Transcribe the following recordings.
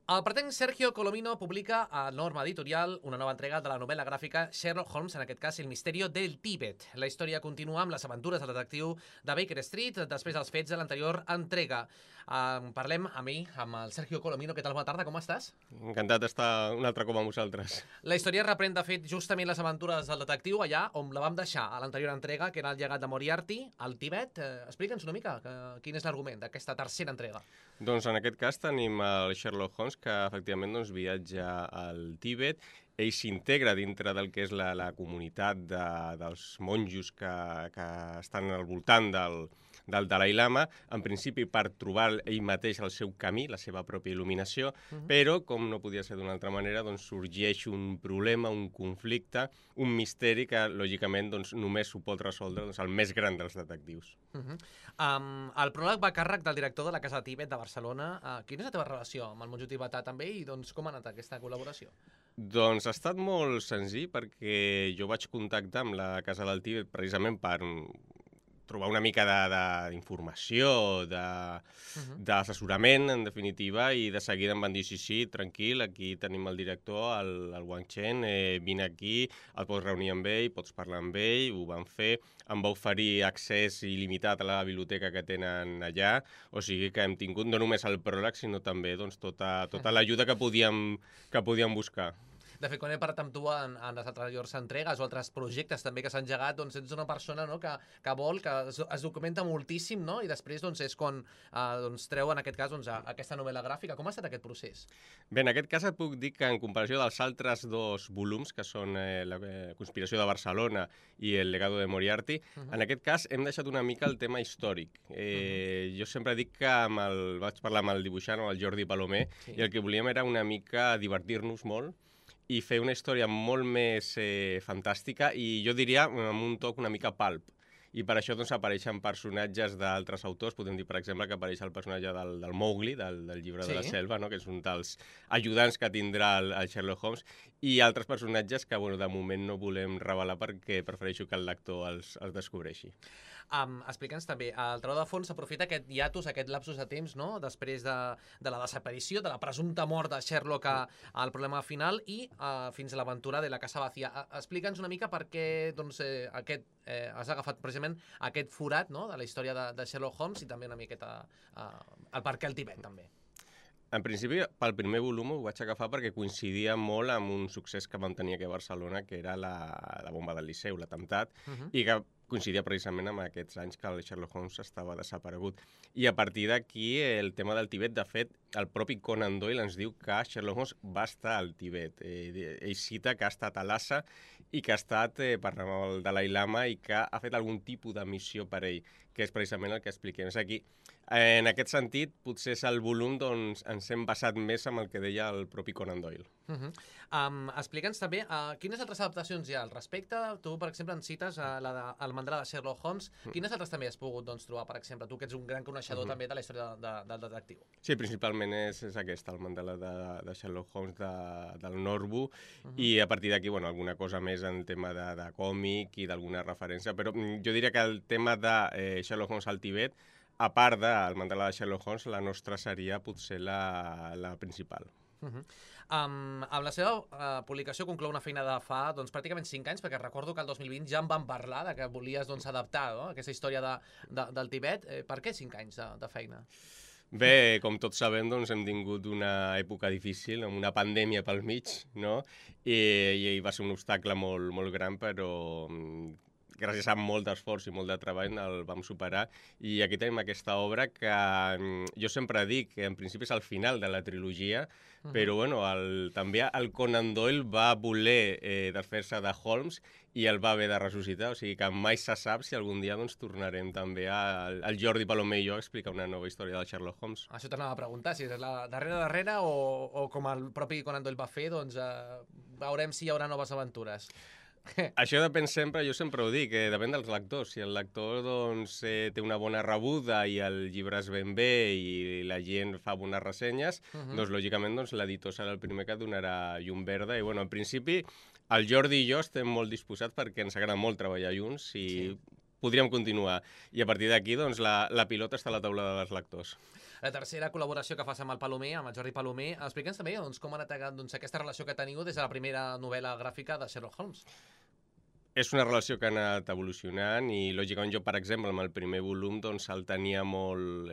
El pretenc Sergio Colomino publica a Norma Editorial una nova entrega de la novel·la gràfica Sherlock Holmes, en aquest cas El misterio del Tíbet. La història continua amb les aventures del detectiu de Baker Street després dels fets de l'anterior entrega. Parlem amb el Sergio Colomino. Què tal? Bona tarda, com estàs? Encantat d'estar un altre cop amb vosaltres. La història reprèn, de fet, justament les aventures del detectiu allà on la vam deixar a l'anterior entrega, que era el llegat de Moriarty, al Tibet. Explica'ns una mica quin és l'argument d'aquesta tercera entrega. Doncs en aquest cas tenim el Sherlock Holmes, que efectivament viatja al Tíbet. Ell s'integra dintre del que és la comunitat dels monjos que estan al voltant del Dalai Lama, en principi per trobar ell mateix el seu camí, la seva pròpia il·luminació, però, com no podia ser d'una altra manera, sorgeix un problema, un conflicte, un misteri que, lògicament, només ho pot resoldre el més gran dels detectius. El pròleg va a càrrec del director de la Casa Tíbet de Barcelona. Quina és la teva relació amb el monjo tibetà també i com ha anat aquesta col·laboració? Doncs ha estat molt senzill perquè jo vaig contactar amb la Casa del Tíbet precisament per trobar una mica d'informació, d'assessorament, en definitiva, i de seguida em van dir, sí, tranquil, aquí tenim el director, el Wang Chen, vine aquí, et pots reunir amb ell, pots parlar amb ell, ho van fer, em va oferir accés il·limitat a la biblioteca que tenen allà, o sigui que hem tingut no només el pròleg, sinó també tota l'ajuda que podíem buscar. De fet, quan he parlat amb tu en les anteriors entregues o altres projectes també que s'han engegat, ets una persona que vol, que es documenta moltíssim, i després és quan treu, en aquest cas, aquesta novel·la gràfica. Com ha estat aquest procés? Bé, en aquest cas et puc dir que en comparació dels altres dos volums, que són la Conspiració de Barcelona i el Legado de Moriarty, en aquest cas hem deixat una mica el tema històric. Jo sempre dic que vaig parlar amb el dibuixant, amb el Jordi Palomer, i el que volíem era una mica divertir-nos molt i fer una història molt més fantàstica i jo diria amb un toc una mica pulp. I per això apareixen personatges d'altres autors. Podem dir, per exemple, que apareix el personatge del Mowgli, del llibre de la selva, que és un dels ajudants que tindrà el Sherlock Holmes, i altres personatges que de moment no volem revelar perquè prefereixo que el lector els descobreixi. Explica'ns també, el Trau de Fons s'aprofita aquest hiatus, aquest lapsus de temps, després de la desaparició, de la presumpta mort de Sherlock al problema final i fins a l'aventura de la Casa Vacía. Explica'ns una mica per què has agafat precisament aquest forat de la història de Sherlock Holmes i també una miqueta el per què el Tibet, també. En principi, pel primer volum ho vaig agafar perquè coincidia molt amb un succés que vam tenir aquí a Barcelona, que era la bomba del Liceu, l'atemptat, i que coincidia precisament amb aquests anys que el Sherlock Holmes estava desaparegut. I a partir d'aquí, el tema del Tibet, de fet, el propi Conan Doyle ens diu que Sherlock Holmes va estar al Tibet. Ell cita que ha estat a Lhasa i que ha estat parlant amb el Dalai Lama i que ha fet algun tipus de missió per ell, que és precisament el que expliquem. És aquí. En aquest sentit, potser és el volum ens hem basat més amb el que deia el propi Conan Doyle. Explica'ns també quines altres adaptacions hi ha al respecte. Tu, per exemple, en cites el mandala de Sherlock Holmes. Quines altres també has pogut trobar, per exemple? Tu, que ets un gran coneixedor també de la història del detectiu. Sí, principalment és aquesta, el mandala de Sherlock Holmes del Norbu, i a partir d'aquí, alguna cosa més en tema de còmic i d'alguna referència, però jo diria que el tema de Sherlock Holmes al Tibet, a part del mandala de Sherlock Holmes, la nostra seria potser la principal. Amb la seva publicació conclou una feina de fa pràcticament 5 anys, perquè recordo que el 2020 ja en vam parlar de que volies adaptar aquesta història del Tibet. Per què 5 anys de feina? Bé, com tots sabem, hem tingut una època difícil, amb una pandèmia pel mig, i va ser un obstacle molt, molt gran, però gràcies a molt d'esforç i molt de treball el vam superar, i aquí tenim aquesta obra que jo sempre dic que en principi és el final de la trilogia, però també el Conan Doyle va voler desfer-se de Holmes i el va haver de ressuscitar, o sigui que mai se sap si algun dia tornarem també al Jordi Palomer i jo a explicar una nova història del Sherlock Holmes. Això t'anava a preguntar, si és la darrere o com el propi Conan Doyle va fer, veurem si hi haurà noves aventures. Això depèn sempre, jo sempre ho dic, depèn dels lectors. Si el lector té una bona rebuda i el llibre es ven bé i la gent fa bones ressenyes, lògicament l'editor serà el primer que donarà llum verda. I en principi el Jordi i jo estem molt disposats perquè ens agrada molt treballar junts i podríem continuar. I a partir d'aquí la pilota està a la taula dels lectors. La tercera col·laboració que fas amb el Palomer, amb el Jordi Palomer, explica'ns també com ha anat aquesta relació que teniu des de la primera novel·la gràfica de Sherlock Holmes. És una relació que ha anat evolucionant i, lògicament, jo, per exemple, amb el primer volum, doncs, el tenia molt...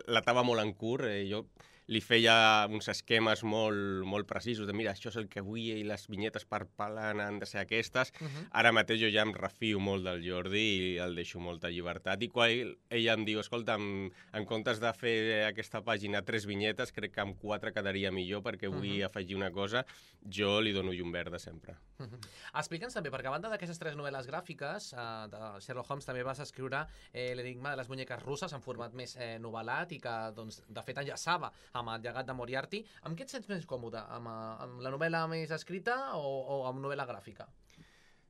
l'atava molt en curt. Jo li feia uns esquemes molt precisos de mira, això és el que vull i les vinyetes per pal·lant han de ser aquestes. Ara mateix jo ja em refio molt del Jordi i el deixo molta llibertat. I quan ella em diu, escolta, en comptes de fer aquesta pàgina 3 vinyetes, crec que amb 4 quedaria millor perquè vull afegir una cosa, jo li dono llum verda sempre. Explica'ns també, perquè a banda d'aquestes 3 novel·les gràfiques de Sherlock Holmes també vas escriure l'enigma de les muñeques russes en format més novel·lat i que, doncs, de fet, enllaçava amb el llegat de Moriarty. Amb què et sents més còmode? Amb la novel·la més escrita o amb novel·la gràfica?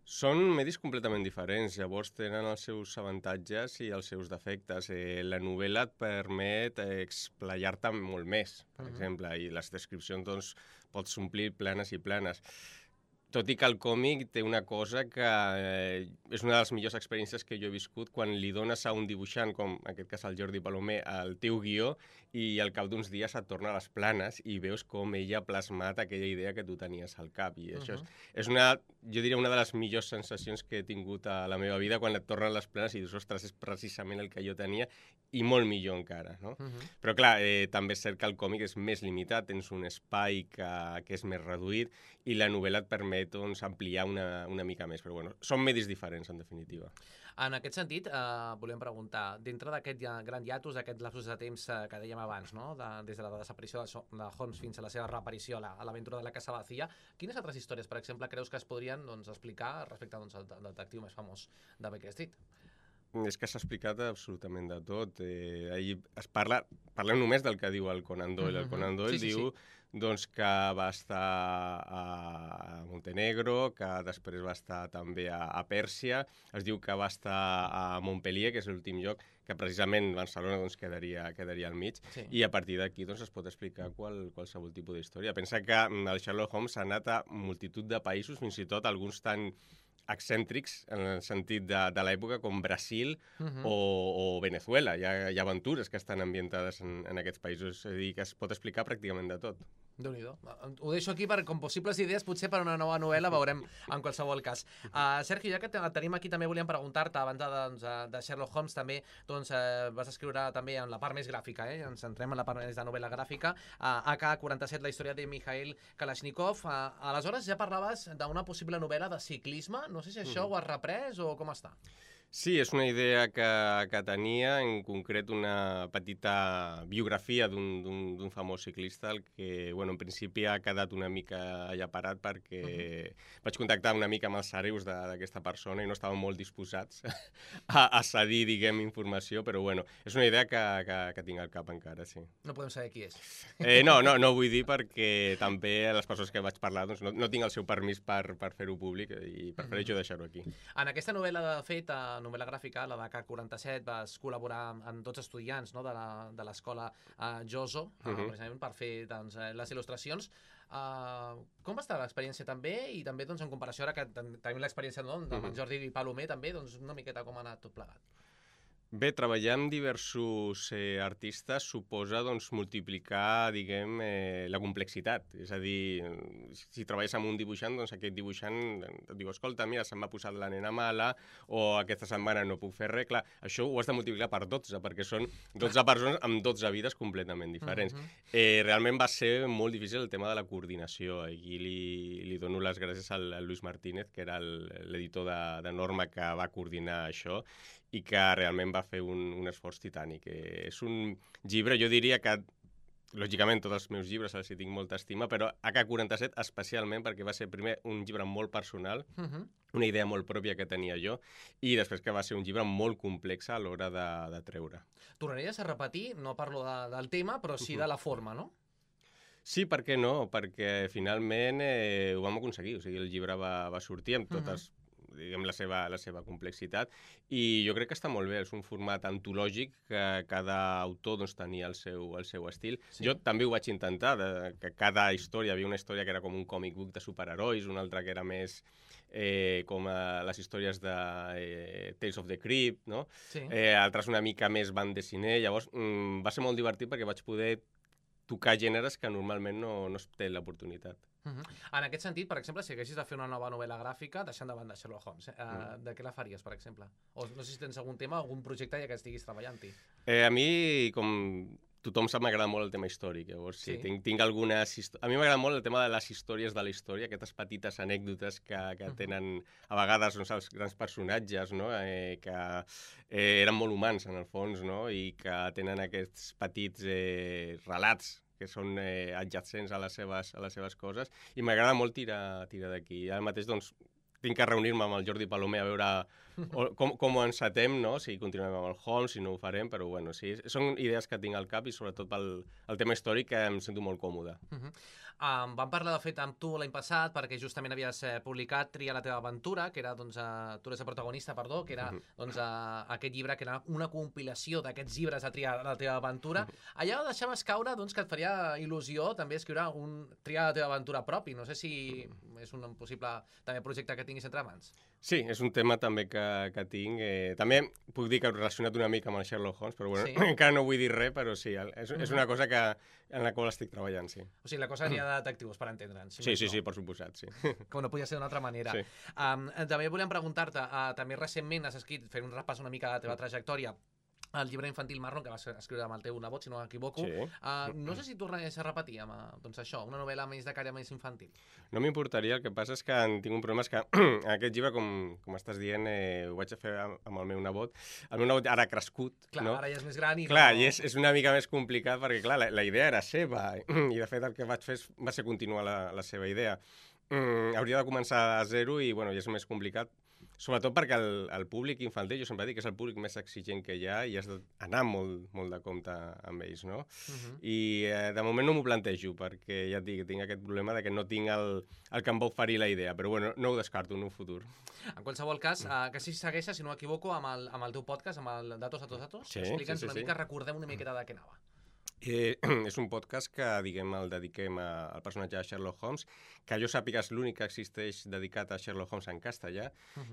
Són medis completament diferents, llavors tenen els seus avantatges i els seus defectes. La novel·la et permet explayar-te molt més, per exemple, i les descripcions doncs, pots omplir planes i planes. Tot i que el còmic té una cosa que és una de les millors experiències que jo he viscut quan li dones a un dibuixant, com en aquest cas el Jordi Palomer, el teu guió i al cap d'uns dies et torna a les planes i veus com ella ha plasmat aquella idea que tu tenies al cap. I això és jo diria, una de les millors sensacions que he tingut a la meva vida quan et tornen les planes i dius, ostres, és precisament el que jo tenia i molt millor encara, no? Però clar, també és cert que el còmic és més limitat, tens un espai que és més reduït i la novel·la et permet doncs, ampliar una mica més, però bueno, són medis diferents, en definitiva. En aquest sentit, volíem preguntar, dintre d'aquest gran hiatus, aquest lapsus de temps que dèiem abans, no? Des de la desaparició de Holmes fins a la seva reaparició a l'aventura de la Casa Vacía, quines altres històries, per exemple, creus que es podrien explicar respecte al detectiu més famós de Baker Street? És que s'ha explicat absolutament de tot. Parlem només del que diu el Conan Doyle. El Conan Doyle diu doncs, que va estar a Montenegro, que després va estar també a Pèrsia, es diu que va estar a Montpellier, que és l'últim lloc, que precisament Barcelona doncs, quedaria al mig, i a partir d'aquí doncs, es pot explicar qualsevol tipus d'història. Pensa que el Sherlock Holmes ha anat a multitud de països, fins i tot alguns tan excèntrics en el sentit de l'època com Brasil o Venezuela. Hi ha aventures que estan ambientades en aquests països, és a dir, que es pot explicar pràcticament de tot. Déu-n'hi-do. Ho deixo aquí com possibles idees, potser per una nova novel·la, veurem en qualsevol cas. Sergio, ja que tenim aquí, també volíem preguntar-te, abans de Sherlock Holmes, també vas escriure també en la part més gràfica, ens centrem en la part més de novel·la gràfica, AK-47, la història de Mikhail Kalashnikov. Aleshores ja parlaves d'una possible novel·la de ciclisme, no sé si això ho has reprès o com està? Sí, és una idea que tenia, en concret una petita biografia d'un famós ciclista, el que, bueno, en principi ha quedat una mica allà parat perquè vaig contactar una mica amb els hereus d'aquesta persona i no estaven molt disposats a cedir, diguem, informació, però, bueno, és una idea que tinc al cap encara, sí. No podem saber qui és. No vull dir perquè també les persones que vaig parlar doncs, no tinc el seu permís per fer-ho públic i prefereixo deixar-ho aquí. En aquesta novel·la, de fet, novel·la gràfica, la de K47, vas col·laborar amb tots estudiants de l'escola Joso, precisament per fer les il·lustracions. Com va estar l'experiència també? I també en comparació ara que tenim l'experiència amb Jordi Palomer també, una miqueta com ha anat tot plegat. Bé, treballar amb diversos artistes suposa multiplicar, diguem, la complexitat. És a dir, si treballes amb un dibuixant, doncs aquest dibuixant et diu, escolta, mira, se'm ha posat la nena mala o aquesta setmana no puc fer res. Clar, això ho has de multiplicar per 12, perquè són 12 persones amb 12 vides completament diferents. Realment va ser molt difícil el tema de la coordinació. Aquí li dono les gràcies al Luis Martínez, que era l'editor de Norma que va coordinar això, i que realment va fer un esforç titànic. És un llibre, jo diria que, lògicament, tots els meus llibres els hi tinc molta estima, però AK-47 especialment perquè va ser primer un llibre molt personal, una idea molt pròpia que tenia jo, i després que va ser un llibre molt complex a l'hora de treure. Tornaries a repetir, no parlo del tema, però sí de la forma, no? Sí, per què no? Perquè finalment ho vam aconseguir. O sigui, el llibre va sortir amb totes diguem, la seva complexitat, i jo crec que està molt bé, és un format antològic que cada autor doncs, tenia el seu estil. Sí. Jo també ho vaig intentar, que cada història, havia una història que era com un còmic book de superherois, una altra que era més com les històries de Tales of the Crypt, no? Sí. Altres una mica més bande dessinée, llavors va ser molt divertit perquè vaig poder tocar gèneres que normalment no es té l'oportunitat. En aquest sentit, per exemple, si haguessis de fer una nova novel·la gràfica, deixant de banda Sherlock Holmes, de què la faries, per exemple? O no sé si tens algun tema, algun projecte ja que estiguis treballant-hi. A mi, com tothom sap, m'agrada molt el tema històric, llavors sí, tinc algunes... A mi m'agrada molt el tema de les històries de la història, aquestes petites anècdotes que tenen a vegades doncs, els grans personatges, no? Que eren molt humans en el fons, no? I que tenen aquests petits relats que són adjacents a les seves coses, i m'agrada molt tirar d'aquí. Ara mateix doncs, tinc que reunir-me amb el Jordi Palomer a veure com ho encetem, no? Si continuem amb el Holmes, si no ho farem, però bueno, sí, són idees que tinc al cap i sobretot pel tema històric que em sento molt còmode. Vam parlar, de fet, amb tu l'any passat perquè justament havies publicat Tria la teva aventura, que era, doncs, tu eres el protagonista, perdó, que era doncs, aquest llibre, que era una compilació d'aquests llibres de Tria la teva aventura. Allà deixaves caure doncs, que et faria il·lusió també escriure un Tria la teva aventura propi. No sé si és un possible també projecte que tinguis entre mans. Sí, és un tema també que tinc. També puc dir que he relacionat una mica amb el Sherlock Holmes, però bueno, sí. Encara no vull dir res, però sí, és una cosa en la qual estic treballant, sí. O sigui, la cosa anirà de detectius, per entendre'ns. Sí, per suposat, sí. Com no podia ser d'una altra manera. Sí. També volem preguntar-te, també recentment has escrit, fent un repàs una mica de la teva trajectòria, el llibre infantil Marlon, que vas escriure amb el teu nebot, si no m'equivoco. Sí. No sé si tornaries a repetir amb doncs això, una novel·la més de caire més infantil. No m'importaria, el que passa és que tinc un problema, és que aquest llibre, com estàs dient, ho vaig a fer amb el meu nebot. El meu nebot ara ha crescut, clar, no? Ara ja és més gran i... Clar, i és una mica més complicat perquè, clar, la idea era seva, i de fet el que vaig fer va ser continuar la seva idea. Hauria de començar a zero i, bueno, ja és més complicat. Sobretot perquè el públic infantil, jo sempre dic que és el públic més exigent que hi ha i has d'anar molt de compte amb ells, no? I de moment no m'ho plantejo perquè ja et dic, tinc aquest problema de que no tinc el que em va oferir la idea, però bueno, no ho descarto en un futur. En qualsevol cas, que si segueixes, si no m'equivoco, amb el teu podcast, amb el Datos a Datos, explica'ns una mica, recordem una miqueta de què anava. És un podcast que, diguem, el dediquem al personatge de Sherlock Holmes, que jo sàpiga és l'únic que existeix dedicat a Sherlock Holmes en castellà,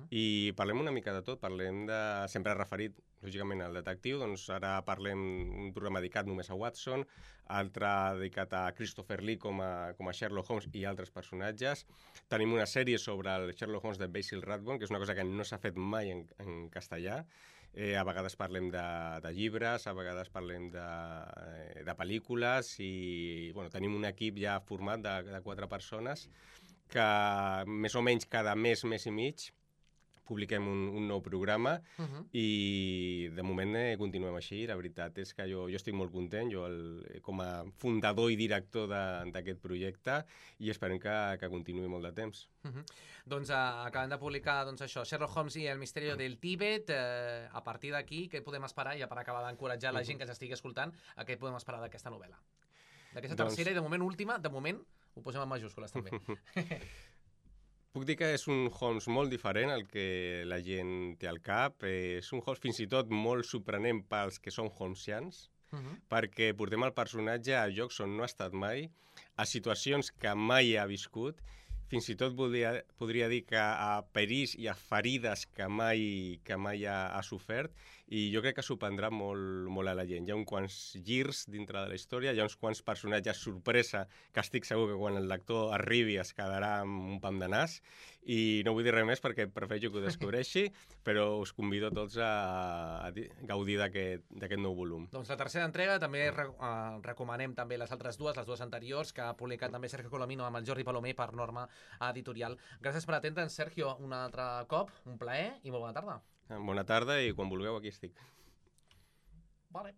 i parlem una mica de tot, parlem de... Sempre referit, lògicament, al detectiu, doncs ara parlem un programa dedicat només a Watson, altre dedicat a Christopher Lee com a Sherlock Holmes i altres personatges. Tenim una sèrie sobre el Sherlock Holmes de Basil Rathbone, que és una cosa que no s'ha fet mai en castellà. A vegades parlem de llibres, a vegades parlem de pel·lícules i bueno, tenim un equip ja format de 4 persones que més o menys cada mes i mig publiquem un nou programa i de moment continuem així. La veritat és que jo estic molt content, jo com a fundador i director d'aquest projecte, i esperem que continuï molt de temps. Doncs acabem de publicar això, Sherlock Holmes i el misteri del Tíbet. A partir d'aquí, què podem esperar? Ja per acabar d'encoratjar la gent que s'estigui escoltant, què podem esperar d'aquesta novel·la? D'aquesta tercera i de moment última, de moment ho posem en majúscules també. Puc dir que és un Holmes molt diferent al que la gent té al cap. És un Holmes fins i tot molt sorprenent pels que són holmesians, perquè portem el personatge a llocs on no ha estat mai, a situacions que mai ha viscut, fins i tot podria dir que a perills i a ferides que mai ha sofert, i jo crec que sorprendrà molt a la gent. Hi ha uns quants girs dintre de la història, hi ha uns quants personatges sorpresa que estic segur que quan el lector arribi es quedarà amb un pam de nas, i no vull dir res més perquè prefereixo que ho descobreixi, però us convido tots a gaudir d'aquest nou volum. Doncs la tercera entrega també recomanem també les altres les dues anteriors, que ha publicat també Sergio Colomino amb el Jordi Palomer per Norma Editorial. Gràcies per atendre'ns, Sergio, un altre cop, un plaer i molt bona tarda. Bona tarda i quan vulgueu aquí estic. Vale.